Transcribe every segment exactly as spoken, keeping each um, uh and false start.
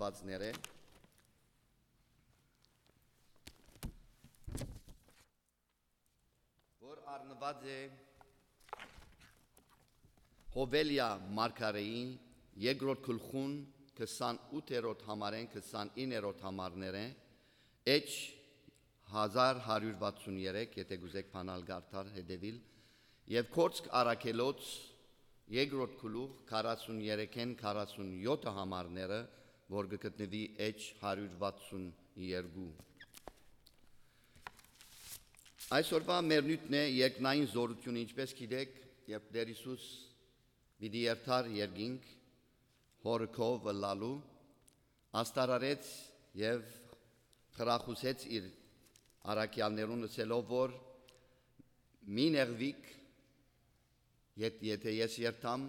Բացները, որ առնուած է Հովելիա մարգարեի երկրորդ գլխուն քսանութերորդ համարէն քսանիններորդ համարները, էջ հազար հարիւր վաթսուն երեք, եթե կ'ուզէք բանալ կարդալ, հետեւիլ, եւ Գործք առաքելոց երկրորդ գլուխ քառասուն երեքէն քառասուն յոթը համարները, որ կը գտնուի էջ հարիւր վաթսուն երկու։ Այսօրվա մեր նիւթն է երկնային զօրութիւնը, ինչպէս գիտէք, երբ Տէր Յիսուս պիտի երթար երկինք, հորը քով ըլլալու, աստարարեց եւ խրախուսեց իր առաքեալներուն, ըսելով որ՝ «Մի նեղուիք, եթ-, եթէ ես երթամ,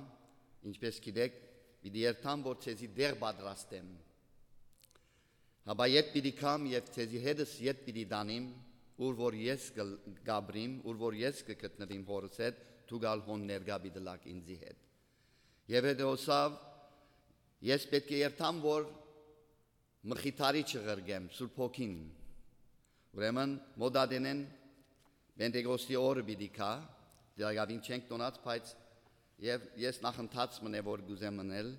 ինչպէս գիտէք, պիտի երթամ, որ ձեզի տեղ պատրաստեմ։ Հապա եթ պիտի գամ եւ ձեզի հետս եթ պիտի տանիմ, ուր որ ես կը-, կ'ապրիմ, ուր որ ես կը գտնուիմ հորս հետ, դուք ալ հոն ներկայ պիտի ըլաք ինծի հետ»։ Եւ հետո ըսաւ. «Ես պէտք է երթամ, որ Մխիթարիչը ղրկեմ, Սուրբ Հոգին»։ Ուրեմն, մօտ ատենէն Պենտեկոստի օրը պիտի գայ, տակաւին չենք տոնած, բայց եւ ես նախընթաց մնե որ կ'ուզեմ մնել։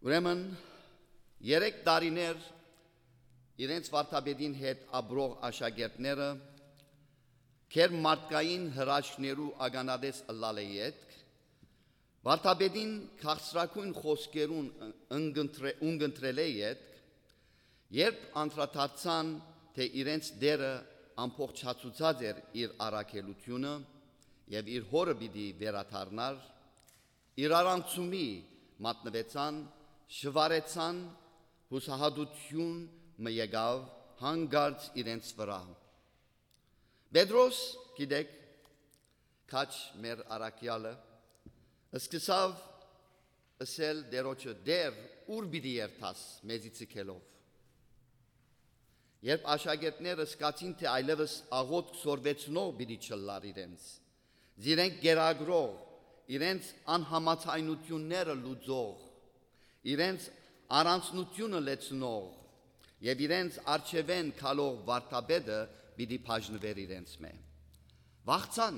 Ուրեմն, երեք տարիներ իրենց վարդապետին հետ ապրող աշակերտները գերմարդկային հրաշքներու ականատես ըլլալէ ետք, վարդապետին քաղցրագոյն խօսքերուն ընկընտրե-, ունկնդրելէ ետք, երբ անդրադարձան, թէ իրենց Տէրը ամբողջացուցած էր իր առաքելութիւնը եւ իր հօրը պիտի վերադառնար, իրարանցումի մատնուեցան, շվարեցան, յուսահատութիւն մը եկաւ հանկարծ իրենց վրայ։ Պետրոս, գիտէք, քաջ մեր առաքեալը, սկսաւ ըսել Տէրոջը. «Տէր, ո՞ւր պիտի երթաս մեզի ձգելով»։ Երբ աշակերտները սկացին, թէ այլեւս աղօթք սորվեցնող պիտի չըլլար իրենց, զիրենք կերակրող, իրենց անհամաձայնութիւնները լուծող, իրենց առանձնութիւնը լեցնող եւ իրենց առջեւէն գալող վարդապետը պիտի բաժնուէր իրենցմէ։ Վախցան,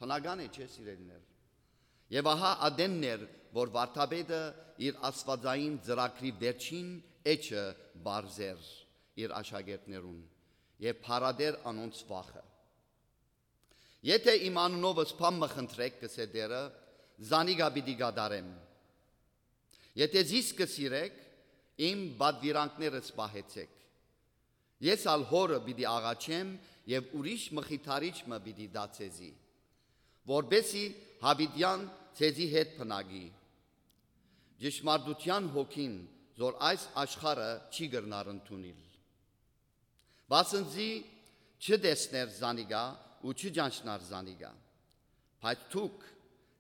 բնական է, չէ՞, սիրելիներ։ Եւ ահա ատենն էր, որ վարդապետը իր աստուածային ծրագրի վերջին էջը պարզեր իր աշակերտներուն եւ փարատէր անոնց վախը։ «Եթէ իմ անունովս բան մը խնդրէք, կ'ըսէ Տէրը, զանիկա պիտի կատարեմ։ Եթէ զիս կը սիրէք, իմ պատուիրանքներս պահեցէք։ Ես ալ Հօրը պիտի աղաչեմ եւ ուրիշ Մխիթարիչ մը պիտի տայ ձեզի, որպէսզի յաւիտեան ձեզի հետ բնակի, ճշմարտութեան Հոգին, որ այս աշխարհը չի կրնար ընդունիլ։ Վասնզի չտեսներ զանիկա ու չճանչնար զանիկա, բայց դուք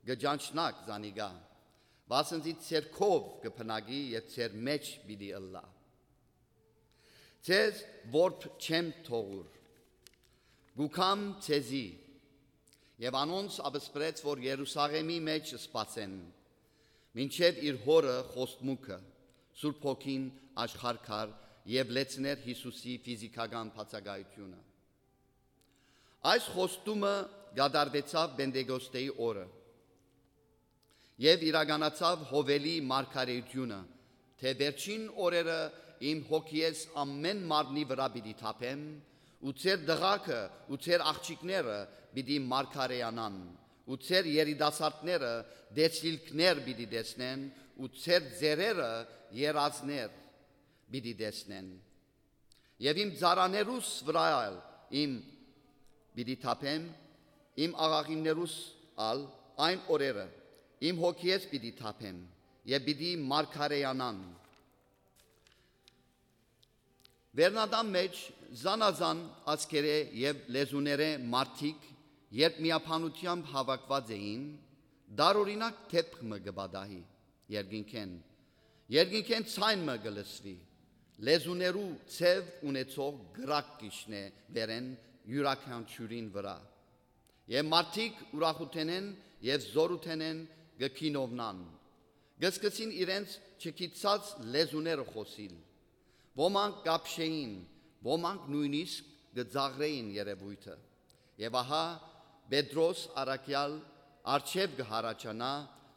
կը ճանչնաք զանիկա, վասնզի ձեր քով կը բնակի եւ ձեր մէջ պիտի ըլլայ։ Ձեզ որբ չեմ թողուր, կու գամ ձեզի»։ Եւ անոնց աբսպրեց, որ Երուսաղէմի մէջ սպասեն, մինչեւ իր Հօրը խոստմունքը, Սուրբ Հոգին, աշխարհ գար եւ լեցներ Յիսուսի ֆիզիքական բացակայութիւնը։ Այս խոստումը կատարուեցաւ Պենտեկոստեի օրը եւ իրականացաւ Յովելի մարգարէութիւնը, թէ վերջին օրերը իմ Հոգիէս ամէն մարմնի վրայ պիտի թափեմ, ու ձեր տղաքը ու ձեր աղջիկները պիտի մարգարէանան, ու ձեր երիտասարդները տեսիլքներ պիտի տեսնեն, ու ձեր ծերերը երազներ պիտի տեսնեն։ Եւ իմ ծառաներուս վրայ ալ իմ պիտի թափեմ, իմ աղախիններուս ալ այն օրերը իմ Հոգիէս պիտի թափեմ եւ պիտի մարգարէանան։ Վերնատան մէջ զանազան ազգերէ եւ լեզուներէ մարդիկ, երբ միաբանութեամբ հաւաքուած էին, տարօրինակ դէպք մը կը պատահի երկինքէն։ Երկինքէն ձայն մը կը լսուի, լեզուներու ձեւ ունեցող կրակ կ'իջնէ վերէն իւրաքանչիւրին վրայ։ Եւ մարդիկ ուրախութենէն եւ զօրութենէն կը գինովնան, կը սկսին իրենց չգիտցած լեզուները խօսիլ։ Ոմանք կապշէին, ոմանք նոյնիսկ կը ծաղրէին երեւոյթը։ Եւ ահա Պետրոս առաքեալ արջեւ կը յառաջանայ,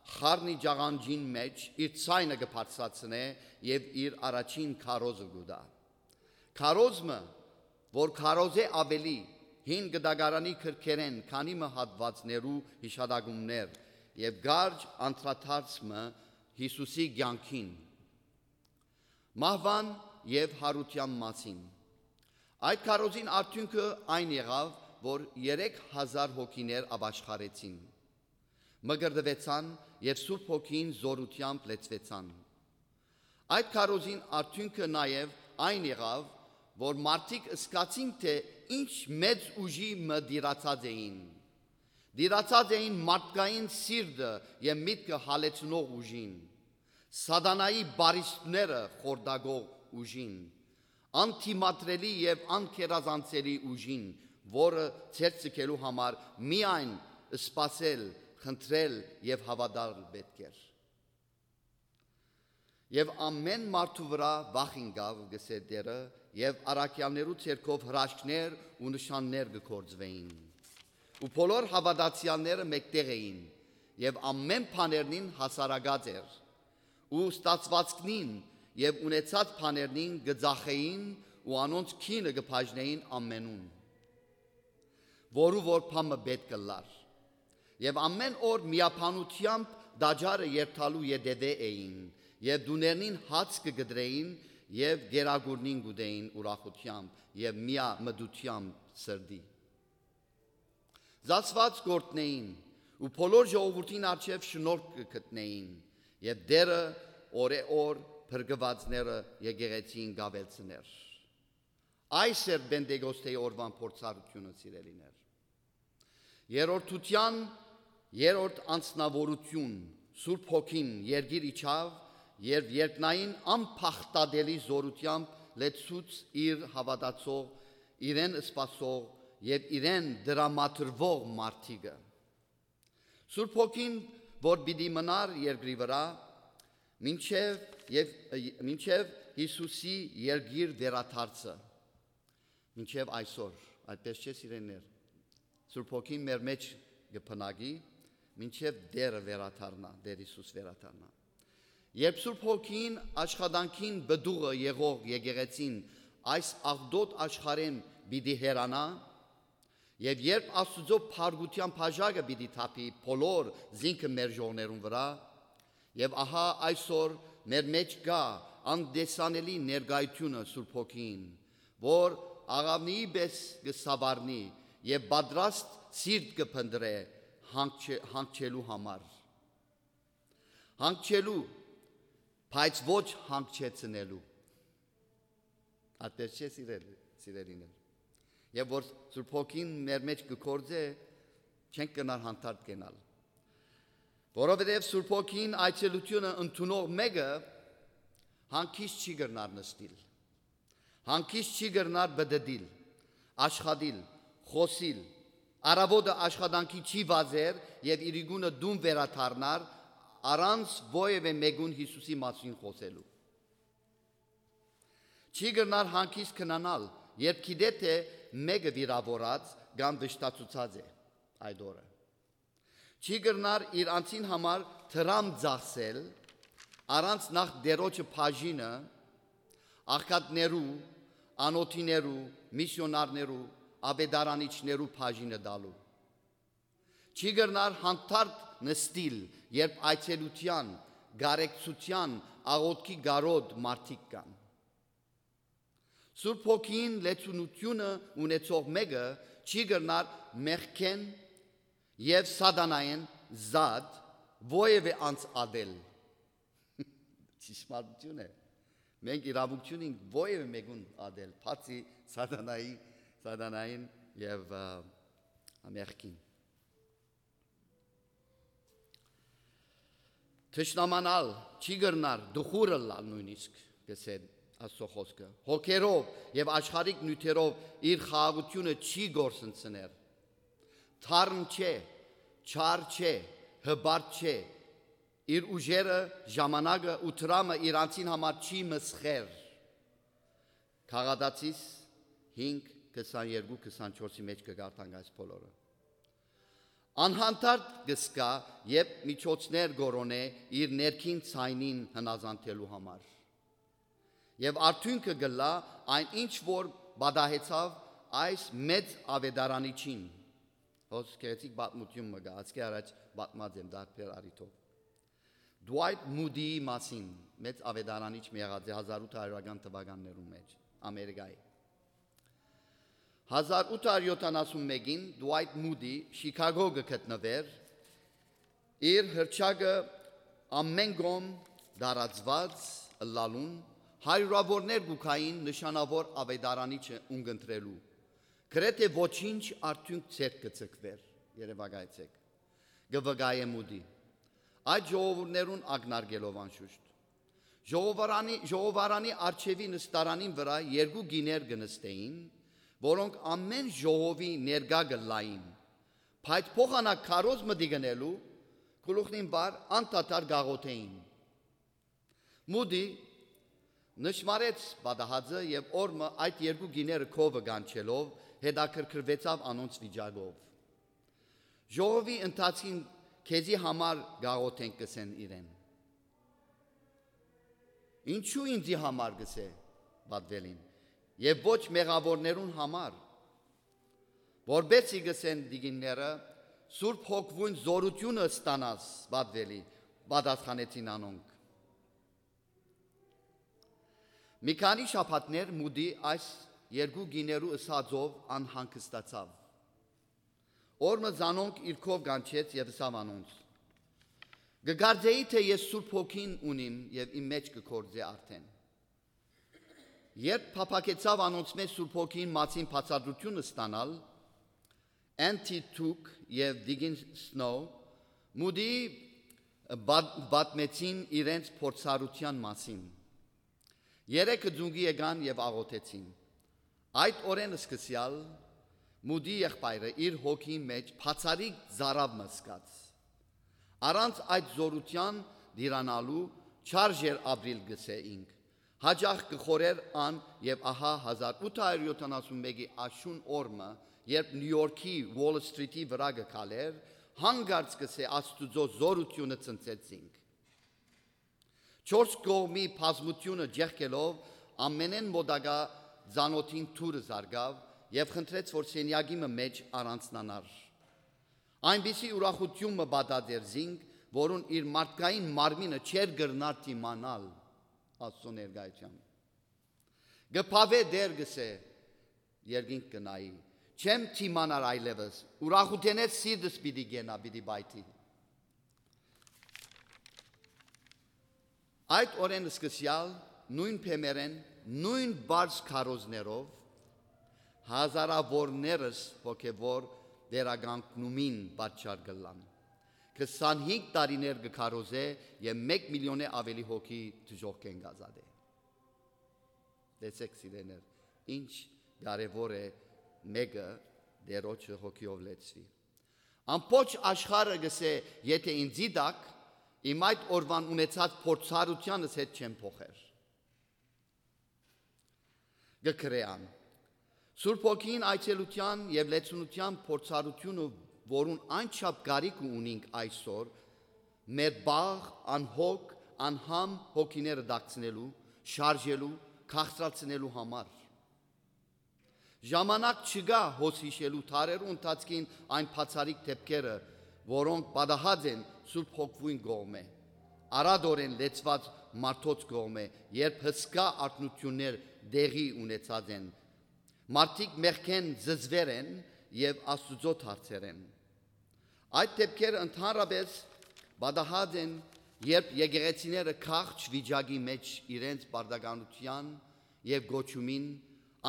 խառնի ջաղանջին մէջ իր ձայնը կը բարձրացնէ եւ իր առաջին քարոզը կու տայ։ Քարոզ մը, որ քարոզէ աւելի, հին կտակարանի քրքերէն քանի մը հատուածներու յիշատակումներ եւ կարճ անդրադարձ մը Յիսուսի կեանքին, մահուան եւ յարութեան մասին։ Այդ քարոզին արդիւնքը այն եղաւ, որ երեք հազար հոգիներ ապաշխարեցին, մկրտուեցան եւ Սուրբ Հոգին զօրութեամբ լեցուեցան։ Այդ քարոզին արդիւնքը նաեւ այն եղաւ, որ մարդիկ զգացին, թէ ինչ մեծ ուժի մը տիրացած էին։ Տիրացած էին մարդկային սիրտը եւ միտքը հալեցնող ուժին, սատանայի բարիստները խորտակող ուժին, անդիմադրելի եւ անգերազանցելի ուժին, որը ձեռք ձգելու համար միայն սպասել, խնդրել եւ հաւատալ պէտք էր։ Եւ ամէն մարդու վրայ վախ ինկաւ, կ'ըսէ Տէրը, եւ առաքեալներու ձեռքով հրաշքներ ու նշաններ կը գործուէին։ Ու բոլոր հաւատացեալները մէկտեղ էին, եւ ամէն բաներնին հասարակած էր, ու ստացուածքնին եւ ունեցած բաներնին կը ծախէին ու անոնց գինը կը բաժնէին ամենուն, որու որ բան մը պէտք ըլլար։ Եւ ամէն օր միաբանութեամբ տաճարը երթալու ետեւէ էին, եւ տուներնին հաց կը կտրէին եւ կերակուրնին կ'ուտէին ուրախութեամբ եւ միամտութեամբ սրտի։ Զացուած կ'օրհնէին ու բոլոր ժողովուրդին առջեւ շնորհք կը գտնէին, եւ Տէրը օրէ օր փրկուածները եկեղեցին կ'աւելցնէր։ Այս էր Պենտեկոստէի օրուան փորձառութիւնը, սիրելիներ։ Երրորդութեան երրորդ անձնաւորութիւն, Սուրբ Հոգին, երկիր իջաւ, երբ երկնային անփախտատելի զօրութեամբ լեցուց իր հաւատացող, իրեն սպասող եւ իրեն տրամադրուող մարդիկը։ Սուրբ Հոգին, որ պիտի մնար երկրի վրայ, մինչեւ եւ, մինչեւ Յիսուսի երկիր վերադարձը, մինչեւ այսօր, այդպես չէ՞, սիրելիներ։ Սուրբ Հոգին մեր մէջ կը բնակի, մինչեւ Տէրը վերադառնայ, Տէր Յիսուս վերադառնայ։ Երբ Սուրբ Հոգին աշխատանքին պտուղը եղող եկեղեցին այս աղտոտ աշխարհէն պիտի հեռանայ, եւ երբ Աստուծոյ փառքութեան բաժակը պիտի թափի բոլոր զինքը մերժողներուն վրայ, եւ ահա այսօր մեր մէջ կայ անտեսանելի ներկայութիւնը Սուրբ Հոգին, որ աղաւնիի պէս կը սաւառնի եւ պատրաստ սիրտ կը փնտռէ հանգչե-, հանգչելու համար։ Հանգչելու, բայց ոչ հանգչեցնելու։ Այդպես չէ՞, սիրելի-, սիրելիներ։ Եւ որ Սուրբ Հոգին մեր մէջ կը գործէ, չենք կրնար հանդարտ կենալ։ Որովհետեւ Սուրբ Հոգին այցելութիւնը ընդունող մէկը հանգիստ չի կրնար նստիլ։ Հանգիստ չի կրնար պտտիլ, աշխատիլ, խօսիլ։ Առաւոտը աշխատանքի չի վազեր եւ իրիկունը տուն վերադառնար, առանց որեւէ մէկուն Յիսուսի մասին խօսելու։ Չի կրնար հանգիստ քնանալ, երբ գիտէ, թէ մէկը վիրաւորած կամ վշտացուցած է այդ օրը։ Չի կրնար իր անձին համար դրամ ծախսել, առանց նախ Տէրոջը բաժինը աղքատներու, անօթիներու, միսիոնարներու, աւետարանիչներու բաժինը տալու։ Չի կրնար հանդարտ նստիլ, երբ այցելութեան, կարեկցութեան, աղօթքի կարօտ մարդիկ կան։ Սուրբ Հոգին լեցունութիւնը ունեցող մէկը չի կրնար մեղքէն եւ սատանայէն զատ որեւէ անձ ատել։ Ճշմարտութիւն է։ Մենք իրաւունք չունենք որեւէ մէկուն ատել, բացի սատանայի, սատանային եւ, ա, մեղքին։ Թշնամանալ չի կրնար, դուխուր ըլլալ նոյնիսկ, կ'ըսէ Աստուծոյ խօսքը։ Հոգերով եւ աշխարհիկ նիւթերով իր խաղաղութիւնը չի գործընծներ։ Թարմ չէ, չար չէ, հպարտ չէ, իր ուժերը, ժամանակը ու դրամը իրանցին համար չի մսխեր։ Քաղատացիս հինգ, քսաներկու, քսանչորսի մէջ կը կարդանք այս բոլորը։ Անհանդարտ կը զգայ, երբ միջոցներ կորոնէ իր ներքին ձայնին հնազանդելու համար։ Եւ արդիւնքը կ'ըլլայ այն, ինչ որ պատահեցաւ այս մեծ աւետարանիչին։ Հոս գեղեցիկ պատմութիւն մը կայ, ասկէ առաջ պատմած եմ դարբեր առիթով։ Dwight Moody-ի մասին, մեծ աւետարանիչ մը եղած է հազար ութ հարիւրական թուականներուն մէջ, Ամերիկայի։ Հազար ութ հարիւր յոթանասուն մէկին Dwight Moody Շիքագո կը գտնուէր, իր հռչակը ամէն կողմ տարածուած ըլլալուն, հարիւրաւորներ կու գային նշանաւոր աւետարանիչը ունկնդրելու։ Գրեթէ ոչինչ արդիւնք ձեռք կը ձգուէր, երեւակայեցէք, կը վկայէ Մուդի։ Այդ ժողովուրդներուն ակնարկելով անշուշտ։ Ժողովարանի, ժողովարանի առջեւի նստարանին վրայ երկու կիներ կը նստէին, որոնք ամէն ժողովի ներկայ կ'ըլլային, բայց փոխանակ քարոզ մտի գնելու գլուխնին վար անդադար կ'աղօթէին։ Մուդի նշմարեց պատահածը եւ օր մը այդ երկու կիները քովը կանչելով հետաքրքրուեցաւ անոնց վիճակով։ Ժողովի ընթացքին քեզի համար կ'աղօթենք, կ'ըսեն իրեն։ Ինչո՞ւ ինծի համար, կ'ըսէ պատուելին, եւ ոչ մեղաւորներուն համար, որպէս զի, կ'ըսեն տիկինները, Սուրբ Հոգիոյն զօրութիւնը ստանաս պատուելի, պատասխանեցին անոնք։ Մի քանի շաբաթներ Մուդի այս երկու կիներու ըսածով անհանգստացաւ։ Օր մը զանոնք իր քով կանչեց եւ ըսաւ անոնց. «Կը կարծէի թէ ես Սուրբ Հոգին ունիմ եւ իմ մէջ կը գործէ արդէն»։ Երբ փափաքեցաւ անոնցմէ Սուրբ Հոգին մասին բացատրութիւնը ստանալ, Anti Tuke եւ տիկին Սնոու Մուդիի պատ-, պատմեցին իրենց փորձառութեան մասին։ Երեքը ծունկի եկան եւ աղօթեցին։ Այդ օրէն սկսեալ Մուդի եղբայրը իր հոգին մէջ բացառիկ ծարաւ մը զգաց։ Առանց այդ զօրութեան տիրանալու չարժ էր ապրիլ, կ'ըսէ ինք։ Յաճախ կը խորհէր ան եւ ահա հազար ութ հարիւր յոթանասուն մէկի աշուն օր մը, երբ Նիու Յորքի Ուոլ Սթրիթի վրայ կը քալէր, հանկարծ, կ'ըսէ, Աստուծոյ զօրութիւնը ցնցեց զինք։ Չորս կողմի բազմութիւնը ջեղկելով ամենէն մօտակայ ծանօթին դուռը զարկաւ եւ խնդրեց, որ սենեակի մը մէջ առանձնանար։ Այնպիսի ուրախութիւն մը պատած էր զինք, որուն իր մարդկային մարմինը չէր կրնար դիմանալ Աստուծոյ ներկայութեան։ «Կը բաւէ, Տէր», կ'ըսէ, երկինք կը նայի, «չեմ դիմանար այլեւս, ուրախութենէս սիրտս պիտի կենայ, պիտի պայթի»։ Այդ օրէն սկսեալ նոյն բեմերէն, նոյն բարձ քարոզներով հազարաւորներս հոգեւոր վերականգնումին պատճառ կ'ըլլան։ Քսանհինգ տարիներ կը քարոզէ եւ մէկ միլիոնէ աւելի հոգի դժոխքէն կ'ազատէ։ Տեսեք, սիրեներ, ինչ կարեւոր է մէկը Տէրոջը հոգիով լեցուի։ Ամբողջ աշխարհը կ'ըսէ, եթէ ինծի տաք, իմ այդ օրուան ունեցած փորձառութեանս հետ չեմ փոխեր։ Կը գրէ ան. Սուրբ Հոգին այցելութեան եւ լեցունութեան փորձառութիւնը, որուն անչափ կարիքը ունինք այսօր, մեր բաղ, անհոգ, անհամ հոգիները դակցնելու, շարժելու, քաղցրացնելու համար։ Ժամանակ չկայ հոս յիշելու դարերու ընթացքին այն բացառիկ դեպքերը, որոնք պատահած են Սուրբ Հոգիին կողմէ, արատորեն լեցուած մարդոց կողմէ, երբ հսկայ արթնություններ տեղի ունեցած են, մարդիկ մեղքէն զզուեր են եւ Աստուծոյ դարձեր են։ Այդ դեպքերը ընդհանրապէս պատահած են, երբ եկեղեցիները քաղց վիճակի մէջ իրենց պարտականութեան եւ կոչումին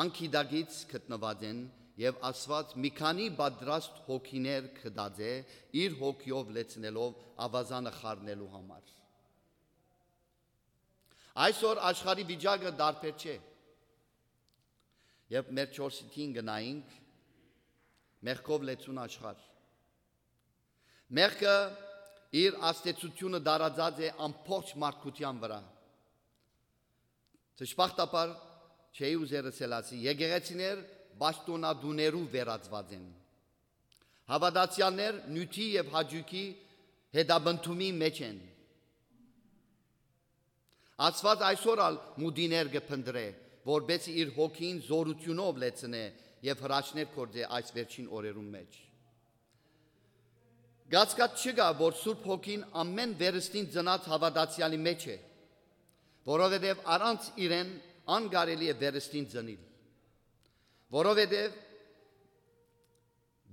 անգիտակից գտնուած են եւ Աստուած մի քանի պատրաստ հոգիներ գտած է, իր հոգիով լեցնելով աւազանը խառնելու համար։ Այսօր աշխարհի վիճակը տարբեր չէ։ Երբ մեր չորսի տին գնայինք, մեղքով լեցուն աշխարհ։ Մեղքը Իր ազդեցութիւնը տարածած է ամբողջ մարդկութեան վրայ։ Դժբախտաբար, չէի ուզեր ըսել ասի, եկեղեցիներ պաշտօնատուներու վերածուած են։ Հաւատացեալներ նիւթի եւ հաճոյքի հետապնդումի մէջ են։ Աստուած այսօր ալ մուտիներ կը փնտռէ, որպէս զի իր հոգին զօրութիւնով լեցնէ եւ հրաշքներ գործէ այս վերջին օրերուն մէջ։ Կասկած չկայ, որ Սուրբ Հոգին ամէն վերստին ծնած հաւատացեալի մէջ է, որովհետեւ առանց իրեն անկարելի է վերստին ծնիլ, որովհետեւ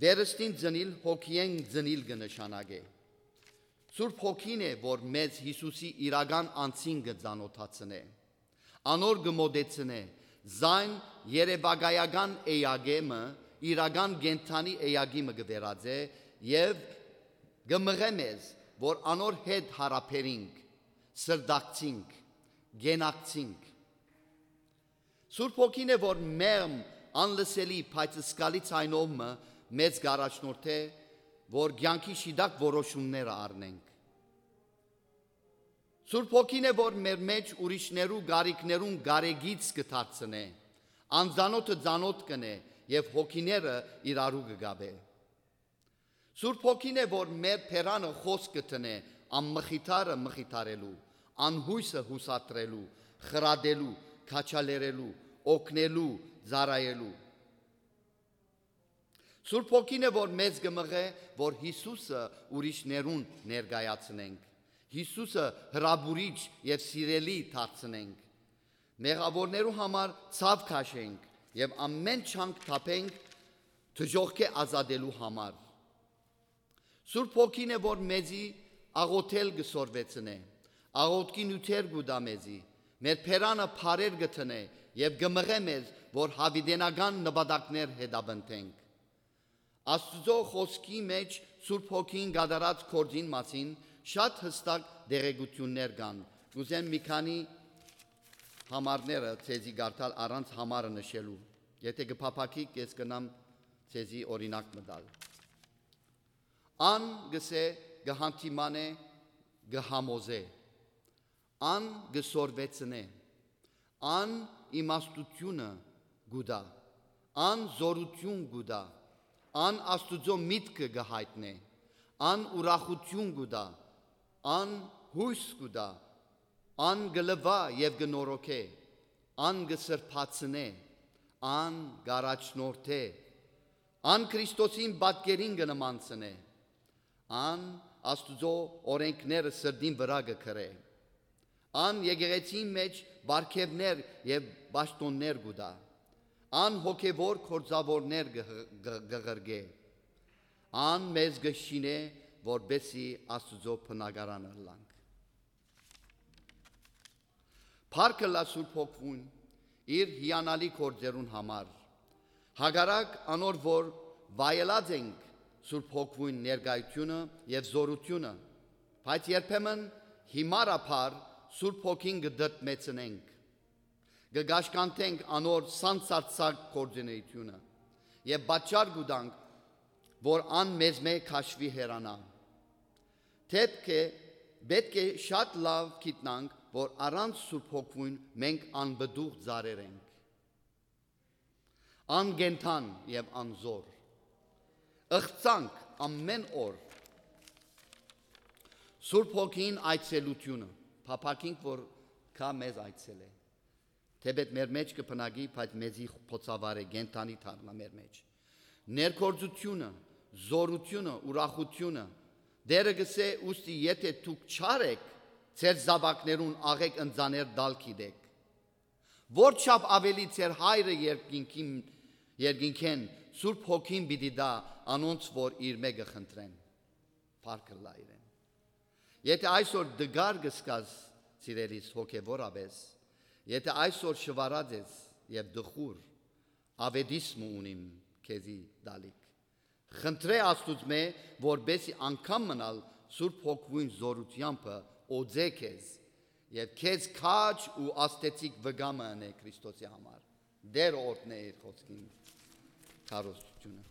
վերստին ծնիլ հոգիէն ծնիլ կը նշանակէ։ Սուրբ Հոգին է, որ մեզ Յիսուսի իրական անձին կը ծանօթացնէ, անոր կը մօտեցնէ, զայն երեւակայական էակէ մը իրական կենդանի էակի մը կը վերածէ եւ կը մղէ մեզ, որ անոր հետ յարաբերինք, սրտակցինք, կենակցինք։ Սուրբ Հոգին է, որ մեղմ, անլսելի, բայց զգալի ձայնով մը մեզ կ'առաջնորդէ, որ կեանքի շիտակ որոշումները առնենք։ Սուրբ Հոգին է, որ մեր մէջ ուրիշներու կարիքներուն կարեկից կը դարձնէ, անծանօթը ծանօթ կ'ընէ եւ հոգիները իրարու կը կապէ։ Սուրբ Հոգին է, որ մեր բերանը խօսք կը դնէ անմխիթարը մխիթարելու, անյոյսը յուսատրելու, խրատելու, քաջալերելու, օգնելու, ծառայելու։ Սուրբ Հոգին է, որ մեզ կը մղէ, որ Յիսուսը ուրիշներուն ներկայացնենք, Յիսուսը հրապուրիչ եւ սիրելի դարձնենք, մեղաւորներու համար ցաւ քաշենք եւ ամէն չանք թափենք դժոխքէ ազատելու համար։ Սուրբ Հոգին է, որ մեզի աղօթել կը սորվեցնէ, աղօթքի նիւթեր կու տայ մեզի, մեր բերանը փարեր կը դնէ եւ կը մղէ մեզ, որ յաւիտենական նպատակներ հետապնդենք։ Աստուծոյ խօսքի մէջ Սուրբ Հոգին կատարած գործին մասին շատ յստակ տեղեկութիւններ կան։ Կ'ուզեմ մի քանի համարները ձեզի կարդալ առանց համարը նշելու։ Եթէ կը փափաքիք, ես կ'նամ ձեզի օրինակ մը տալ։ Ան կ'ըսէ, կը հանդիմանէ, կը համոզէ, ան կը սորվեցնէ, ան իմաստութիւնը կու տայ, ան զօրութիւն կու տայ, ան Աստուծոյ միտքը կը յայտնէ, ան ուրախութիւն կու տայ, ան յոյս կու տայ, ան կը լուայ եւ կը նորոգէ, ան կը սրբացնէ, ան կ'առաջնորդէ, ան Քրիստոսին պատկերին կը նմանցնէ, ան Աստուծոյ օրէնքները սրտին վրայ կը գրէ, ան եկեղեցին մէջ պարգեւներ եւ պաշտօններ կու տայ, ան հոգեւոր գործաւորներ կը, կը, կը ղրկէ, ան մեզ կը շինէ, որպէս զի Աստուծոյ բնակարանը ըլլանք։ Փառք ըլլայ Սուրբ Հոգիին իր հիանալի գործերուն համար, հակառակ անոր, որ վայելած ենք Սուրբ Հոգիին ներկայութիւնը եւ զօրութիւնը, բայց երբեմն հիմարաբար Սուրբ Հոգին կը դդմեցնենք, կը կաշկանդենք անոր սանսարձակ գործունեութիւնը եւ պատճառ կու տանք, որ ան մեզմէ քաշուի, հեռանայ։ Դէպք է, պէտք է շատ լաւ գիտնանք, որ առանց Սուրբ Հոգիին մենք անպտուղ ծառեր ենք, անկենդան եւ անզօր, ըղծանք ամէն օր։ Սուրբ Հոգին այցելութիւնը, փափաքինք, որ գայ մեզ այցելէ։ Թէպէտ մեր մէջ կը բնակի, բայց մեզի բոցավառ է, կենդանի դառնայ մեր մէջ։ Ներգործութիւնը, զօրութիւնը, ուրախութիւնը։ Տէրը կ'ըսէ. «Ուստի եթէ դուք չար էք, ձեր զաւակներուն աղէկ ընծաներ տալ գիտէք»։ Որչափ աւելի ձեր Հայրը երկինքին, երկինքէն Սուրբ Հոգին պիտի տայ անոնց, որ իրմէ կը խնդրեն։ Փառք ըլլայ իրեն։ Եթէ այսօր տկար կ'զգաս, սիրելիս, հոգեւորապէս, եթէ այսօր շուարած ես եւ տխուր, աւետիս մը ունիմ քեզի տալիք։ Խնդրէ Աստուծմէ, որպէս զի անգամ մըն ալ Սուրբ Հոգիին զօրութեամբը օծէ քեզ եւ քեզ քաջ ու ազդեցիկ վկայ մը ընէ Քրիստոսի համար։ Տէրը օրհնէ իր խօսքին քարոզչութիւնը։